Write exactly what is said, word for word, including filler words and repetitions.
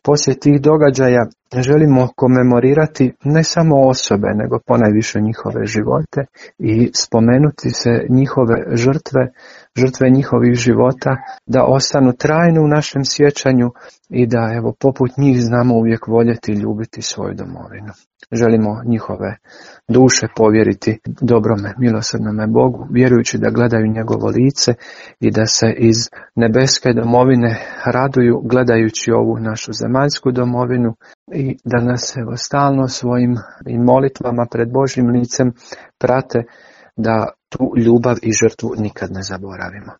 poslije tih događaja želimo komemorirati ne samo osobe, nego ponajviše njihove živote i spomenuti se njihove žrtve, žrtve njihovih života, da ostanu trajno u našem sjećanju i da, evo, poput njih znamo uvijek voljeti i ljubiti svoju domovinu. Želimo njihove duše povjeriti dobrome, milosrdnome Bogu, vjerujući da gledaju njegovo lice i da se iz nebeske domovine raduju gledajući ovu našu zemaljsku domovinu i da nas, evo, stalno svojim i molitvama pred Božjim licem prate, da tu ljubav i žrtvu nikad ne zaboravimo.